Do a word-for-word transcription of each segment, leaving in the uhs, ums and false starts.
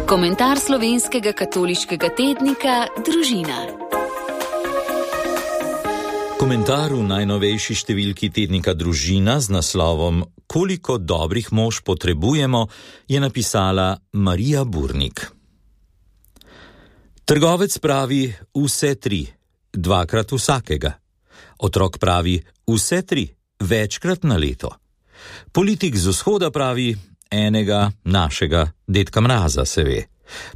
Komentar slovenskega katoliškega tednika Družina. Komentar v najnovejši številki tednika Družina z naslovom Koliko dobrih mož potrebujemo je napisala Marija Burnik. Trgovec pravi vse tri, dvakrat vsakega. Otrok pravi vse tri, večkrat na leto. Politik z vzhoda pravi enega našega dedka Mraza se ve.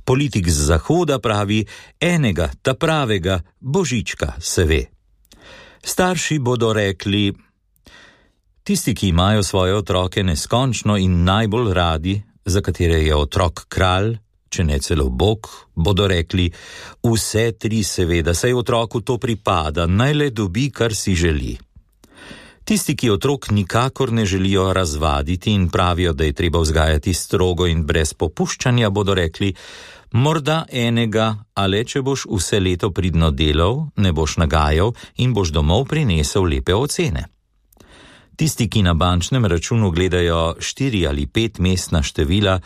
Politik z zahoda pravi enega ta pravega Božička se ve. Starši bodo rekli, tisti, ki imajo svoje otroke neskončno in najbolj radi, za katere je otrok kralj, če ne celo Bog, bodo rekli, vse tri seveda, saj otroku to pripada, naj le dobi, kar si želi. Tisti, ki otrok nikakor ne želijo razvaditi in pravijo, da je treba vzgajati strogo in brez popuščanja, bodo rekli, morda enega, ale če boš vse leto pridno delal, ne boš nagajal in boš domov prinesel lepe ocene. Tisti, ki na bančnem računu gledajo štiri ali pet mestna števila,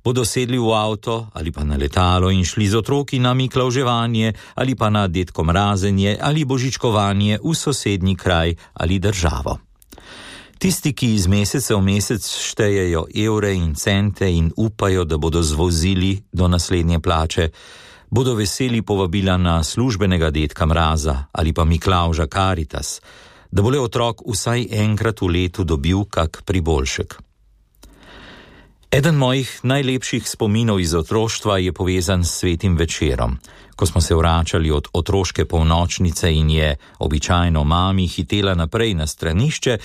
bodo sedli v avto ali pa na letalo in šli z otroki na miklavževanje ali pa na dedko mrazenje ali božičkovanje v sosednji kraj ali državo. Tisti, ki iz meseca v mesec štejejo evre in cente in upajo, da bodo zvozili do naslednje plače, bodo veseli povabila na službenega dedka Mraza ali pa Miklavža Karitas, da bo le otrok vsaj enkrat v letu dobil kak priboljšek. Eden mojih najlepših spominov iz otroštva je povezan s svetim večerom. Ko smo se vračali od otroške polnočnice in je običajno mami hitela naprej na stranišče,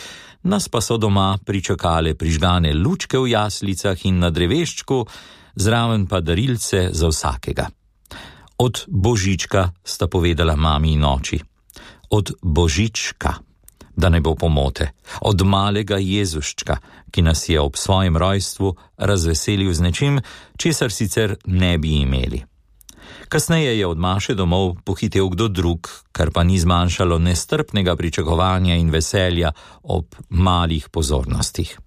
nas pa so doma pričakale prižgane lučke v jaslicah in na dreveščku, zraven pa darilce za vsakega. Od Božička sta povedala mami in oči. Od Božička, da ne bo pomote, od malega Jezuščka, ki nas je ob svojem rojstvu razveselil z nečim, česar sicer ne bi imeli. Kasneje je od Maše domov pohitel kdo drug, kar pa ni zmanjšalo nestrpnega pričakovanja in veselja ob malih pozornostih.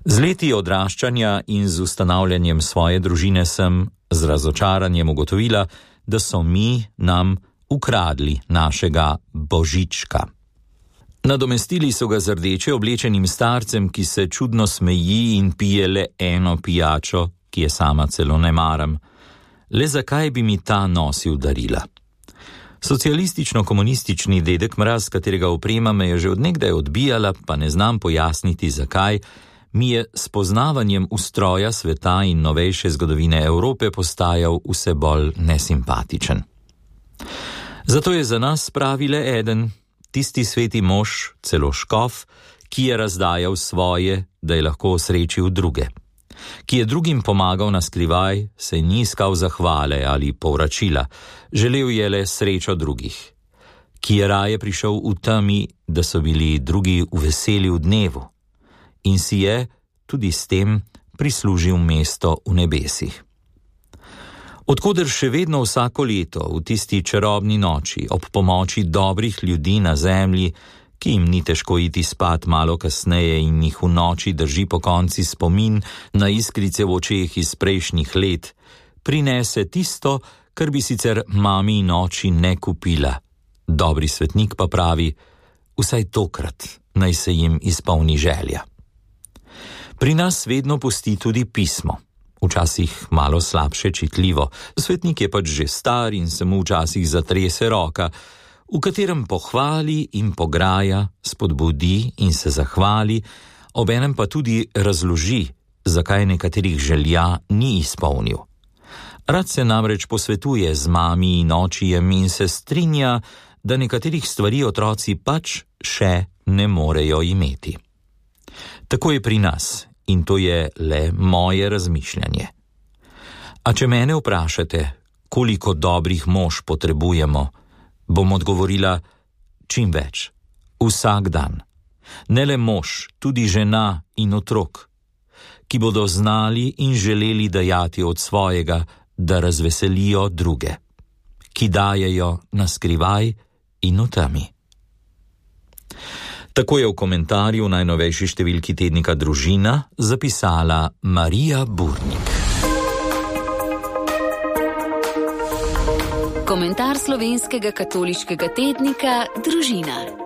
Z leti odraščanja in z ustanavljanjem svoje družine sem z razočaranjem ugotovila, da so mi nam ukradli našega Božička. Nadomestili so ga z rdeče oblečenim starcem, ki se čudno smeji in pije le eno pijačo, ki je sama celo ne maram. Le zakaj bi mi ta nosil darila? Socialistično-komunistični dedek Mraz, katerega oprema me je že od nekdaj odbijala, pa ne znam pojasniti zakaj, mi je s poznavanjem ustroja sveta in novejše zgodovine Evrope postajal vse bolj nesimpatičen. Zato je za nas pravi le eden, tisti sveti mož, celo škof, ki je razdajal svoje, da je lahko osrečil druge. Ki je drugim pomagal na skrivaj, se ni iskal zahvale ali povračila, želel je le srečo drugih. Ki je raje prišel v temi, da so bili drugi v veseli v dnevu. In si je, tudi s tem, prislužil mesto v nebesih. Odkoder še vedno vsako leto, v tisti čarobni noči, ob pomoči dobrih ljudi na zemlji, ki jim ni težko iti spat malo kasneje in jih v noči drži po konci spomin na iskrice v očeh iz prejšnjih let, prinese tisto, kar bi sicer mami in oči ne kupila. Dobri svetnik pa pravi, vsaj tokrat naj se jim izpolni želja. Pri nas vedno pusti tudi pismo. Včasih malo slabše čitljivo. Svetnik je pač že star in se mu včasih zatrese roka, v katerem pohvali in pograja, spodbudi in se zahvali, obenem pa tudi razloži, zakaj nekaterih želja ni izpolnil. Rad se namreč posvetuje z mami in očijem in se strinja, da nekaterih stvari otroci pač še ne morejo imeti. Tako je pri nas. In to je le moje razmišljanje. A če mene vprašate, koliko dobrih mož potrebujemo, bom odgovorila, čim več, vsak dan. Ne le mož, tudi žena in otrok, ki bodo znali in želeli dajati od svojega, da razveselijo druge, ki dajejo na skrivaj in v temi. Tako je v komentarju najnovejši številki tednika Družina zapisala Marija Burnik. Komentar slovenskega katoliškega tednika Družina.